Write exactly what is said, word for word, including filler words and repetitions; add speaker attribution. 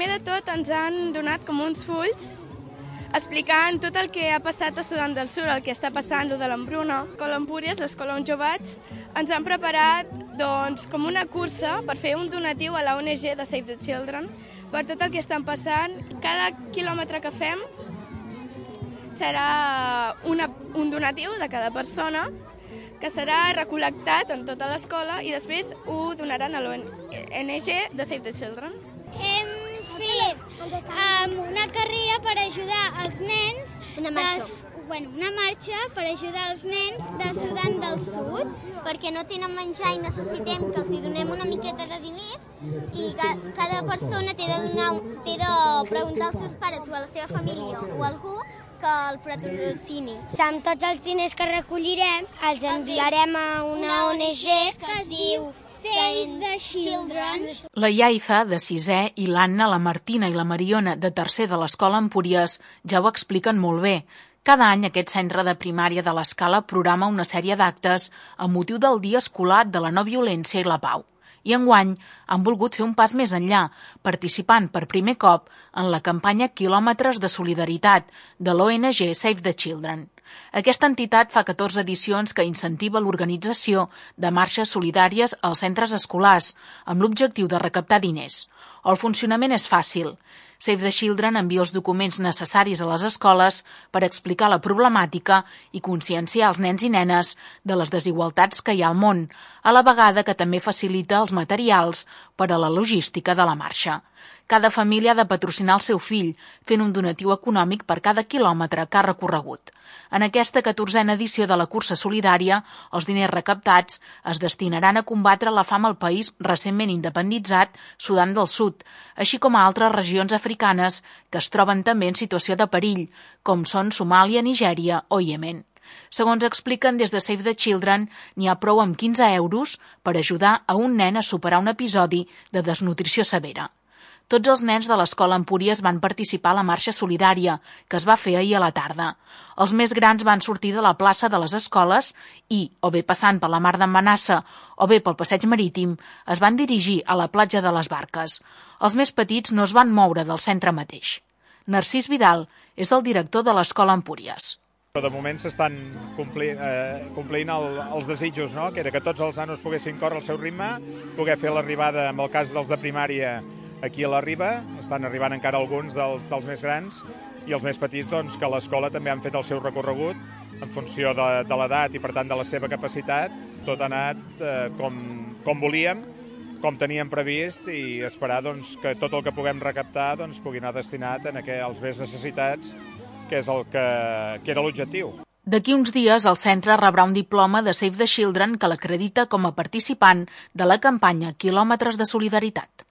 Speaker 1: primer de tot ens han donat com uns fulls explicant tot el que ha passat a Sudan del Sud, el que està passant, el de l'Embruna. Escola Empúries, l'Escola on jo vaig, ens han preparat doncs, com una cursa per fer un donatiu a la O N G de Save the Children per tot el que estan passant. Cada quilòmetre que fem serà una, un donatiu de cada persona que serà recol·lectat en tota l'escola i després ho donaran a l'O N G de Save the Children.
Speaker 2: Hem fet um, una carrera per ajudar els nens,
Speaker 3: una marxa.
Speaker 2: De, bueno, una marxa per ajudar els nens de Sudan del Sud,
Speaker 3: perquè no tenen menjar i necessitem que els hi donem una miqueta de diners i cada persona té de, donar, té de preguntar als seus pares o a la seva família o a algú que el patrocini.
Speaker 2: Amb tots els diners que recollirem els enviarem a una O N G que es diu Save the Children.
Speaker 4: La Yaiza, de sisè, i l'Anna, la Martina i la Mariona, de tercer de l'Escola Empúries, ja ho expliquen molt bé. Cada any aquest centre de primària de l'Escala programa una sèrie d'actes amb motiu del Dia Escolar de la No Violència i la Pau. I enguany han volgut fer un pas més enllà, participant per primer cop en la campanya Quilòmetres de Solidaritat de l'O N G Save the Children. Aquesta entitat fa catorze edicions que incentiva l'organització de marxes solidàries als centres escolars amb l'objectiu de recaptar diners. El funcionament és fàcil. Save the Children envia els documents necessaris a les escoles per explicar la problemàtica i conscienciar els nens i nenes de les desigualtats que hi ha al món, a la vegada que també facilita els materials per a la logística de la marxa. Cada família ha de patrocinar el seu fill, fent un donatiu econòmic per cada quilòmetre que ha recorregut. En aquesta catorzena edició de la cursa solidària, els diners recaptats es destinaran a combatre la fam al país recentment independitzat, Sudan del Sud, així com a altres regions africanes que es troben també en situació de perill, com són Somàlia, Nigèria o Iemen. Segons expliquen des de Save the Children, n'hi ha prou amb quinze euros per ajudar a un nen a superar un episodi de desnutrició severa. Tots els nens de l'Escola Empúries van participar a la marxa solidària, que es va fer ahir a la tarda. Els més grans van sortir de la plaça de les escoles i, o bé passant per la mar d'en Manassa o bé pel passeig marítim, es van dirigir a la platja de les Barques. Els més petits no es van moure del centre mateix. Narcís Vidal és el director de l'Escola Empúries.
Speaker 5: De moment s'estan complint, eh, complint el, els desitjos, no? Que era que tots els nanos poguessin córrer al seu ritme, poder fer l'arribada, en el cas dels de primària, aquí a la Riba, estan arribant encara alguns dels, dels més grans, i els més petits, doncs, que a l'escola també han fet el seu recorregut en funció de, de l'edat i, per tant, de la seva capacitat. Tot ha anat eh, com, com volíem, com teníem previst, i esperar doncs, que tot el que puguem recaptar doncs, pugui anar destinat en aqu- als més necessitats, que és el que, que era l'objectiu.
Speaker 4: D'aquí uns dies, el centre rebrà un diploma de Save the Children que l'acredita com a participant de la campanya Quilòmetres de Solidaritat.